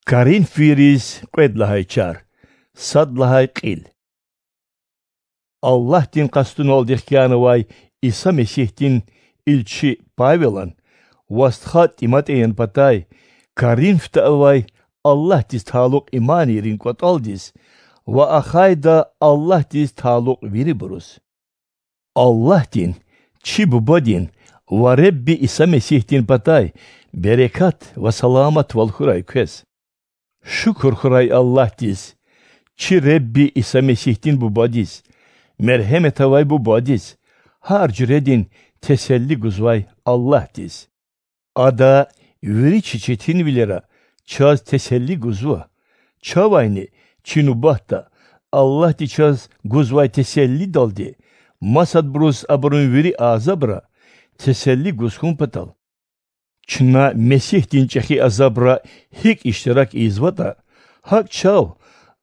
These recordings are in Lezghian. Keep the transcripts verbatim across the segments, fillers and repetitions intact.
Коринфвийриз кьвед лагьай чар, сад лагьай кьил. Аллагьдин къастуналди хкянавай Иса Месигьдин илчи Павелан ва стха ТӀиматӀеян патай Коринфда авай Аллагьдиз талукь иманийрин кӀватӀалдиз ва ахайда Аллагьдиз талукь вирибуруз. Аллагьдин, чи Бубадин ва Худа Иса Месигьдин патай берекат ва саламатвал хьурай квез. Шукур хьурай Аллагьдиз, чи Худа Иса Месигьдин Бубадиз, мергьемет авай Бубадиз, гьар жуьредин теселли гузвай Аллагьдиз. Ада вири чи четинвилера чаз теселли гузва, чавайни, чи нубатда, Аллагьди чаз гузвай теселлидалди масадбуруз абурун вири азабра теселли гуз хьун патал. Чна Месигьдин чӀехи азабра гьикӀ иштирак ийизватӀа, гьакӀ чав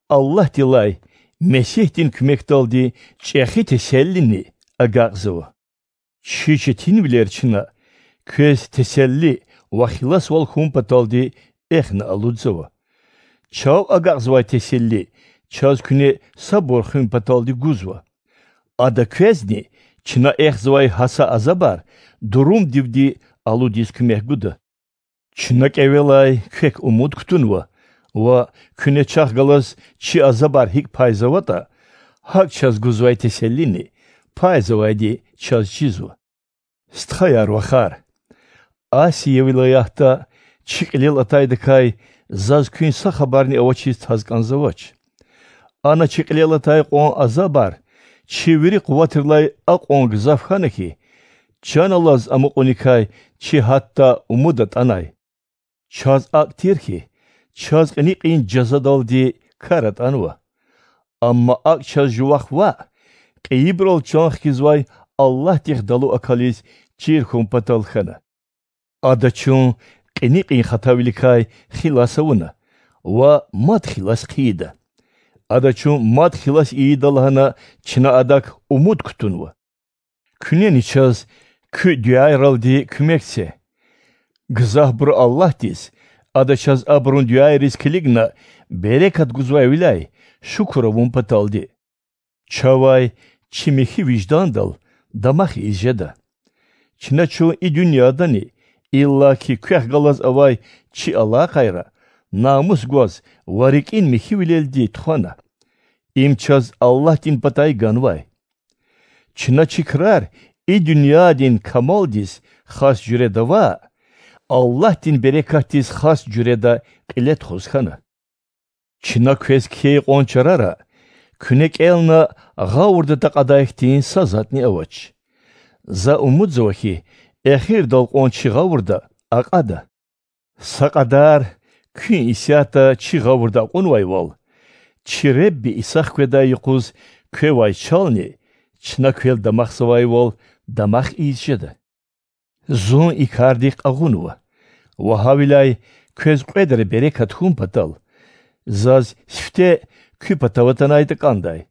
Аллагьдилай Месигьдин куьмекдалди чӀехи теселлини агакьзава. Чи четинвилер чна квез теселли ва хиласвал хьун паталди эхна алудзава. Чав агакьзавай теселли чаз куьне сабур хуьн паталди гузва. Ада квезни чна эхзавай гьа са азабар дурумдивди алудиз куьмек гуда. Чна кӀевелай квек умуд кутунва ва куьне чахъ галаз чи азабар гьикӀ пайзаватӀа, гьакӀ чаз гузвай теселлини пайзавайди чаз чизва. Стхаяр-вахар, Асия вилаятда чи кьилел атайдакай заз куьн са хабарни авачиз таз кӀанзавач. Ана чи кьилел атай кьван азабар чи вири къуватрилай акьван гзаф хьана хьи, чан алаз амукьуникай чи гьатта умуд атӀанай. Чаз акӀ тир хьи, чаз кьиникьин жазадалди кар атӀанва. Амма акӀ чаз жувахъ ваъ, кьейибурал чан хкизвай Аллагьдихъ далу акализ чир хьун патал хьана. Ада чун кьиникьин хатавиликай хилас авуна ва мад хилас хъийида. Ада чун мад хилас ийида лагьана чна Адак умуд кутунва. Куьнени чаз куь дуьайралди куьмек це. Гзафбуру Аллагьдиз, Ада чаз абурун дуьайриз килигна берекат гузвайвиляй, шукур авун паталди. Чавай чи михьи виждандал дамах ийиз жеда. Чна чун и дуьньядани, иллаки квехъ галаз авай чи алакъайра намус гваз ва рикӀин михьивилелди тухвана. Им чаз Аллагьдин патай ганвай. Чна чи крар и дуьньядин камалдиз хас жуьреда ваъ, Аллагьдин берекатдиз хас жуьреда кьиле тухуз хьана. Чна квез кхьей кьван чарара куьне кӀелна гъавурда такьадай хьтин са затӀни авач. За умудзава хьи, эхирдал кьван чи гъавурда акьада. Са кьадар куьн исятда чи гъавурда акьунвайвал, чи Худа Иса хкведай юкъуз квевай чални чна квел дамахзавайвал дамах ийиз жеда. Зун и кардихъ агъунва ва гьавиляй квез кьведра берекат хьун патал, заз сифте куь патав атанайтӀа кӀандай.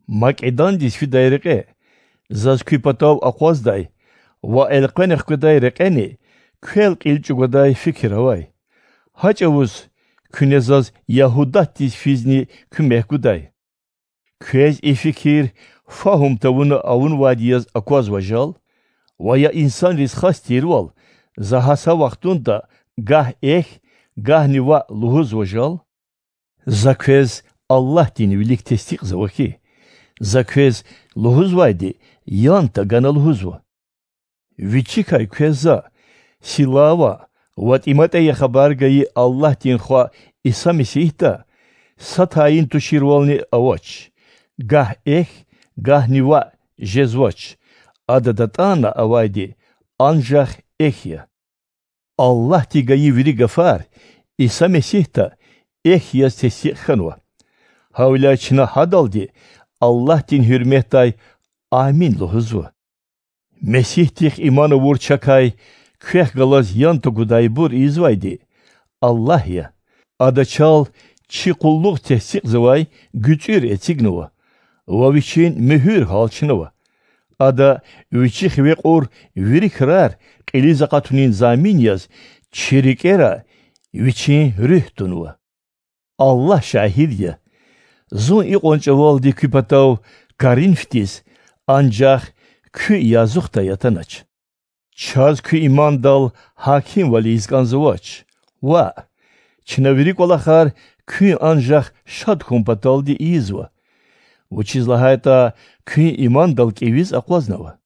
Македондиз фидай рекье заз куь патав акъваздай ва элкъвена хкведай рекьени квел кьил чӀугвадай фикир авай. Гьа чӀавуз куьне заз Ягьудатдиз физни куьмек гудай. Квез и фикир фагьум тавуна авунвайди яз аквазва жал? Ва я инсанриз хас тирвал, за гьа са вахтунда гагь эхь, гагьни ваъ лугьузва жал? За квез Аллагьдин вилик тестикьзава хьи, за квез лугьузвайди ян тагана лугьузва. Вичикай квез за, силава ва тӀиматӀея хабар гайи Аллагьдин Хва Иса Месигьда, са тайин туширвални авач: гагь эхь, гагьни ваъ жезвач, Ада датӀана авайди анжах эхь я. Аллагьди гайи вири гафар Иса Месигьда эхь яз тестикь хьанва. Гьавиляй чна гьадалди Аллагьдин гьуьрметдай Амин лугьузва. Месигьдихъ иман авур чакай квехъ галаз ян тагудайбур ийизвайди Аллагь я. Ада чал чи къуллугъ тестикьзавай гуьцӀуьр эцигнава ва Вичин муьгьуьр гьалчнава. Ада Вичи хиве кьур вири крар кьилиз акъатунин замин яз чи рикӀера Вичин Руьгь тунва. Аллагь шагьид я, зун икьван чӀавалди куь патав Коринфдиз анжах куь язухдай атанач. Чаз куь имандал гьакимвал ийиз кӀанзавач. Ваъ, чна вири кӀвалахар куьн анжах шад хьун паталди ийизва, вучиз лагьайтӀа куьн имандал кӀевиз акъвазнава.